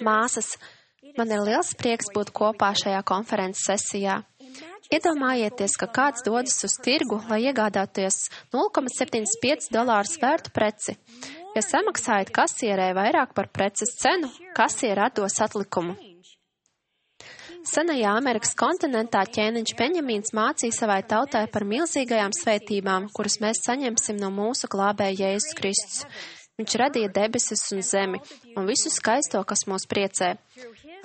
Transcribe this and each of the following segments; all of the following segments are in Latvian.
Māsas, man ir liels prieks būt kopā šajā konferences sesijā. Iedomājieties, ka kāds dodas uz tirgu, lai iegādāties $0,75 vērtu preci. Ja samaksājat kasierē vairāk par preces cenu, kasiere atdos atlikumu. Senajā Amerikas kontinentā ķēniņš Beņamīns mācīja savai tautai par milzīgajām svētībām, kuras mēs saņemsim no mūsu glābēja Jēzus Kristus. Viņš radīja debesis un zemi un visu skaisto, kas mūs priecē.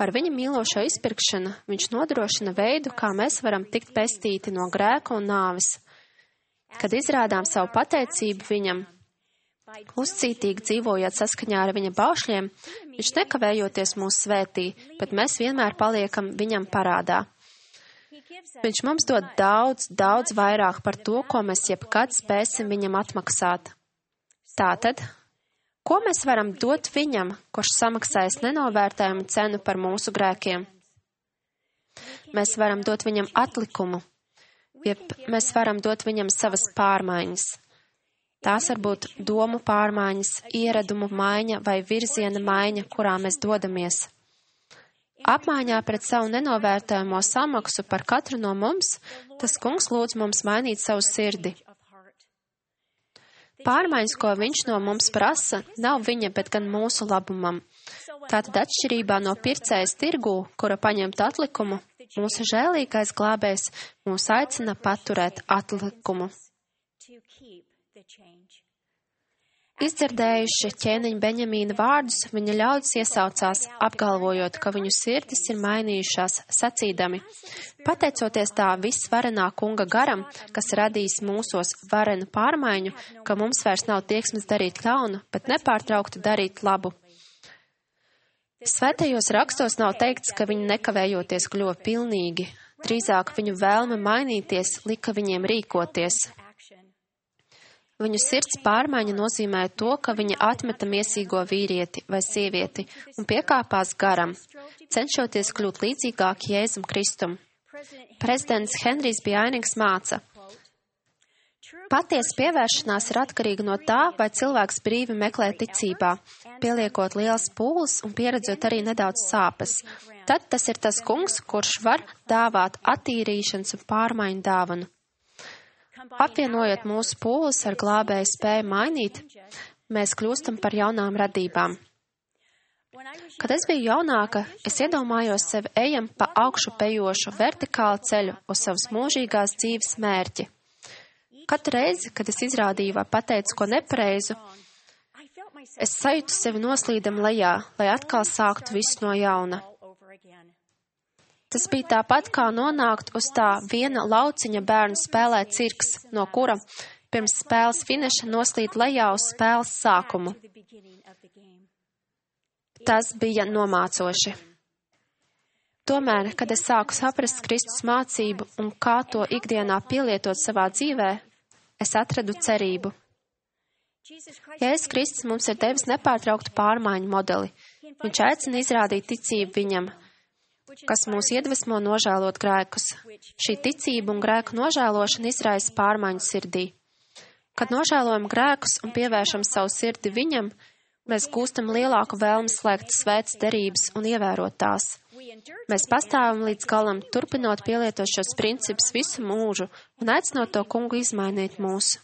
Ar viņa mīlošo izpirkšanu viņš nodrošina veidu, kā mēs varam tikt pestīti no grēka un nāves. Kad izrādām savu pateicību viņam, uzcītīgi dzīvojot saskaņā ar viņa baušļiem, viņš nekavējoties mūs svētī, bet mēs vienmēr paliekam viņam parādā. Viņš mums dod daudz, daudz vairāk par to, ko mēs jebkad spēsim viņam atmaksāt. Tātad, ko mēs varam dot viņam, kurš samaksājas nenovērtējumu cenu par mūsu grēkiem? Mēs varam dot viņam atlikumu, jeb mēs varam dot viņam savas pārmaiņas. Tās var būt domu pārmaiņas, ieradumu maiņa vai virziena maiņa, kurā mēs dodamies. Apmaiņā pret savu nenovērtējumu samaksu par katru no mums, tas Kungs lūdz mums mainīt savu sirdi. Pārmaiņas, ko viņš no mums prasa, nav viņa, bet gan mūsu labumam. Tātad atšķirībā no pircējas tirgū, kura paņemt atlikumu, mūsu žēlīgais glābējs mūs aicina paturēt atlikumu. Izdzirdējuši ķēniņa Beņamīna vārdus, viņa ļaudis iesaucās, apgalvojot, ka viņu sirdis ir mainījušās, sacīdami: pateicoties tā visvarenā kunga garam, kas radīs mūsos varenu pārmaiņu, ka mums vairs nav tieksmes darīt ļaunu, bet nepārtraukti darīt labu. Svētajos rakstos nav teikts, ka viņi nekavējoties kļuva pilnīgi, drīzāk viņu vēlme mainīties lika viņiem rīkoties. Viņu sirds pārmaiņa nozīmē to, ka viņa atmeta miesīgo vīrieti vai sievieti un piekāpās garam, cenšoties kļūt līdzīgāk Jēzum Kristum. Prezidents Henrijs Bjainings māca: patiesa pievēršanās ir atkarīga no tā, vai cilvēks brīvi meklē ticībā, pieliekot lielas pūles un pieredzot arī nedaudz sāpes. Tad tas ir tas Kungs, kurš var dāvāt attīrīšanas un pārmaiņu dāvanu. Apvienojot mūsu pūles ar glābēju spēju mainīt, mēs kļūstam par jaunām radībām. Kad es biju jaunāka, es iedomājos sevi ejam pa augšu pejošu vertikālu ceļu uz savas mūžīgās dzīves mērķi. Katru reizi, kad es izrādīju vai pateicu ko nepareizu, es sajūtu sevi noslīdam lejā, lai atkal sāktu visu no jauna. Tas bija tāpat, kā nonākt uz tā viena lauciņa bērnu spēlē cirks, no kura pirms spēles finiša noslīd lejā uz spēles sākumu. Tas bija nomācoši. Tomēr, kad es sāku saprast Kristus mācību un kā to ikdienā pielietot savā dzīvē, es atradu cerību. Jēzus Kristus mums ir devis nepārtrauktu pārmaiņu modeli. Viņš aicina izrādīt ticību viņam, kas mūs iedvesmo nožēlot grēkus. Šī ticība un grēku nožēlošana izraisa pārmaiņu sirdī. Kad nožēlojam grēkus un pievēršam savu sirdi viņam, mēs gūstam lielāku vēlmi slēgt svētas derības un ievērot tās. Mēs pastāvam līdz galam, turpinot pielietot šos principus visu mūžu un aicinot to Kungu izmainīt mūs.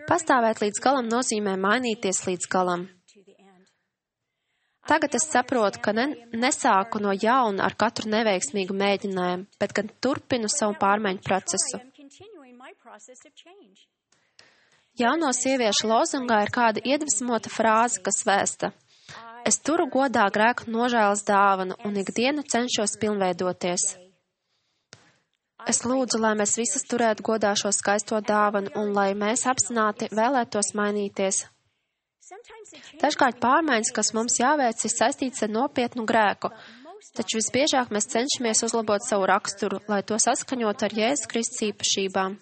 Pastāvēt līdz galam nozīmē mainīties līdz galam. Tagad es saprotu, ka nesāku no jauna ar katru neveiksmīgu mēģinājumu, bet gan turpinu savu pārmaiņu procesu. Jauno sieviešu lozungā ir kāda iedvesmota frāze, kas vēsta: es turu godā grēku nožēlas dāvanu un ikdienu cenšos pilnveidoties. Es lūdzu, lai mēs visas turētu godā šo skaisto dāvanu un lai mēs apzināti vēlētos mainīties. Dažkārt pārmaiņas, kas mums jāveic, ir saistīts ar nopietnu grēku, taču visbiežāk mēs cenšamies uzlabot savu raksturu, lai to saskaņot ar Jēzus Kristus īpašībām.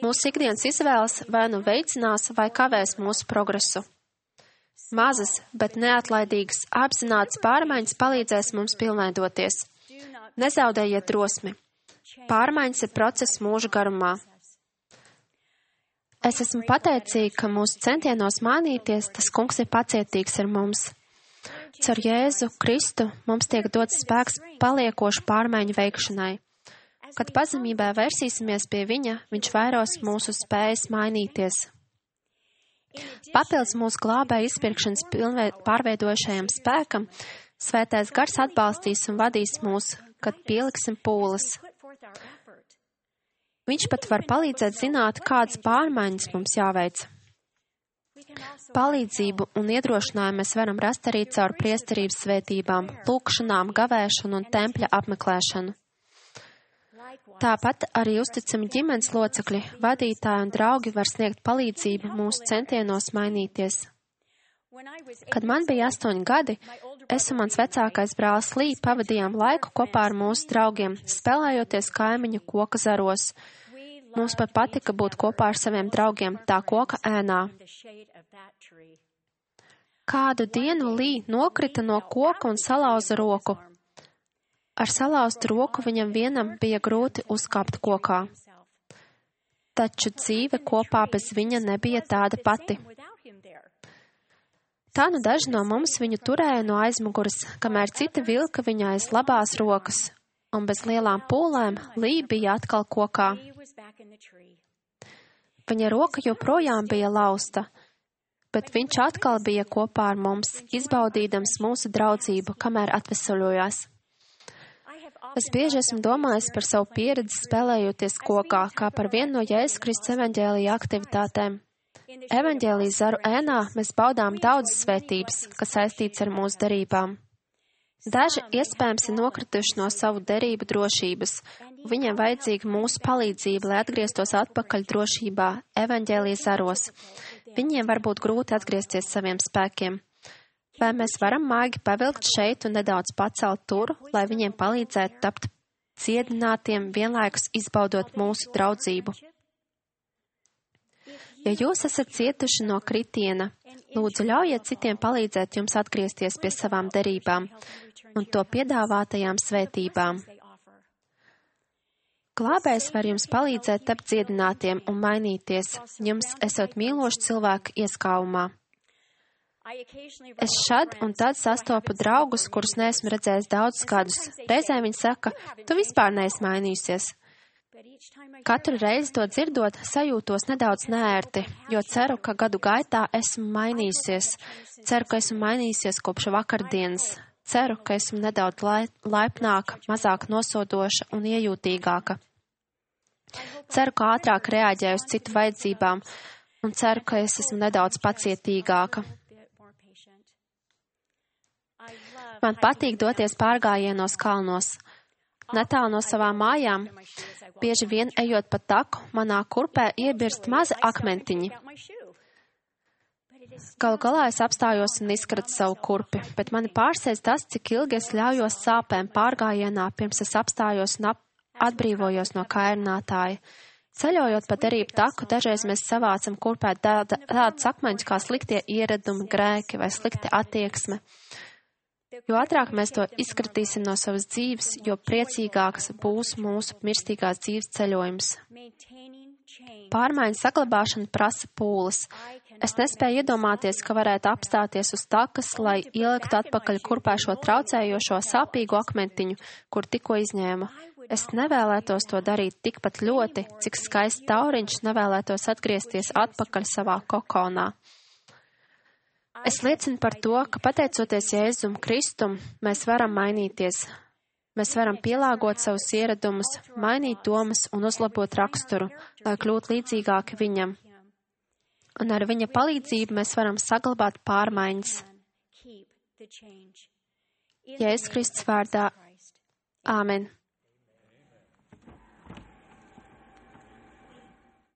Mūsu ikdienas izvēles vai nu veicinās vai kavēs mūsu progresu. Mazas, bet neatlaidīgas, apzinātas pārmaiņas palīdzēs mums pilnveidoties. Nezaudējiet drosmi. Pārmaiņas ir process mūža garumā. Es esmu pateicīga, ka mūsu centienos mainīties, tas Kungs ir pacietīgs ar mums. Caur Jēzu Kristu mums tiek dots spēks paliekošu pārmaiņu veikšanai. Kad pazemībā vērsīsimies pie Viņa, Viņš vairos mūsu spējas mainīties. Papildus mūsu glābēja izpirkšanas pārveidojušajam spēkam, Svētais Gars atbalstīs un vadīs mūs, kad pieliksim pūles. Viņš pat var palīdzēt zināt, kādas pārmaiņas mums jāveic. Palīdzību un iedrošinājumu mēs varam rast arī caur priesterības svētībām, lūkšanām, gavēšanu un tempļa apmeklēšanu. Tāpat arī uzticami ģimenes locekļi, vadītāji un draugi var sniegt palīdzību mūsu centienos mainīties. Kad man bija 8 gadi, es un mans vecākais brālis Lī pavadījām laiku kopā ar mūsu draugiem, spēlējoties kaimiņu koka zaros. Mums pat patika būt kopā ar saviem draugiem tā koka ēnā. Kādu dienu Lī nokrita no koka un salauza roku. Ar salauztu roku viņam vienam bija grūti uzkāpt kokā. Taču dzīve kopā bez viņa nebija tāda pati. Tā nu daži no mums viņu turēja no aizmuguras, kamēr citi vilka viņa aiz labās rokas, un bez lielām pūlēm Lī bija atkal kokā. Viņa roka joprojām bija lausta, bet viņš atkal bija kopā ar mums, izbaudīdams mūsu draudzību, kamēr atvesaļojās. Es bieži esmu domājis par savu pieredzi spēlējoties kokā, kā par vienu no Jēzus Kristus evaņģēlija aktivitātēm. Evaņģēlijas zaru ēnā mēs baudām daudzas svētības, kas saistīts ar mūsu derībām. Daži iespējams ir nokrituši no savu derību drošības, un viņiem vajadzīga mūsu palīdzība, lai atgrieztos atpakaļ drošībā evaņģēlijas zaros. Viņiem var būt grūti atgriezties saviem spēkiem. Vai mēs varam maigi pavilkt šeit un nedaudz pacelt tur, lai viņiem palīdzētu tapt ciedinātiem, vienlaikus izbaudot mūsu draudzību? Ja jūs esat cietuši no kritiena, lūdzu ļaujiet citiem palīdzēt jums atgriezties pie savām derībām un to piedāvātajām svētībām. Glābējs var jums palīdzēt tapt dziedinātiem un mainīties, jums esot mīloši cilvēku ieskāvumā. Es šad un tad sastopu draugus, kurus neesmu redzējis daudzus gadus. Reizē viņi saka, tu vispār neesi mainījusies. Katru reizi to dzirdot, sajūtos nedaudz neērti, jo ceru, ka gadu gaitā esmu mainījusies. Ceru, ka esmu mainījusies kopš vakardienas. Ceru, ka esmu nedaudz laipnāka, mazāk nosodoša un iejūtīgāka. Ceru, ka ātrāk reaģēju uz citu vajadzībām un ceru, ka es esmu nedaudz pacietīgāka. Man patīk doties pārgājienos kalnos. Netālu no savām mājām, bieži vien ejot pa taku, manā kurpē iebirst mazi akmentiņi. Galu galā es apstājos un izkratu savu kurpi, bet mani pārsteidz tas, cik ilgi es ļaujos sāpēm pārgājienā, pirms es apstājos un atbrīvojos no kairinātāja. Ceļojot pa derību taku, dažreiz mēs savācam kurpē tādus akmeņus kā sliktie ieradumi, grēki vai slikti attieksme. Jo ātrāk mēs to izkratīsim no savas dzīves, jo priecīgāks būs mūsu mirstīgās dzīves ceļojums. Pārmaiņu saglabāšana prasa pūles. Es nespēju iedomāties, ka varētu apstāties uz takas, lai ieliktu atpakaļ kurpē šo traucējošo sāpīgu akmentiņu, kur tikko izņēma. Es nevēlētos to darīt tikpat ļoti, cik skaists tauriņš nevēlētos atgriezties atpakaļ savā kokonā. Es liecinu par to, ka pateicoties Jēzum Kristum, mēs varam mainīties. Mēs varam pielāgot savus ieradumus, mainīt domas un uzlabot raksturu, lai kļūtu līdzīgāki viņam. Un ar viņa palīdzību mēs varam saglabāt pārmaiņas. Jēzus Kristus vārdā. Āmen.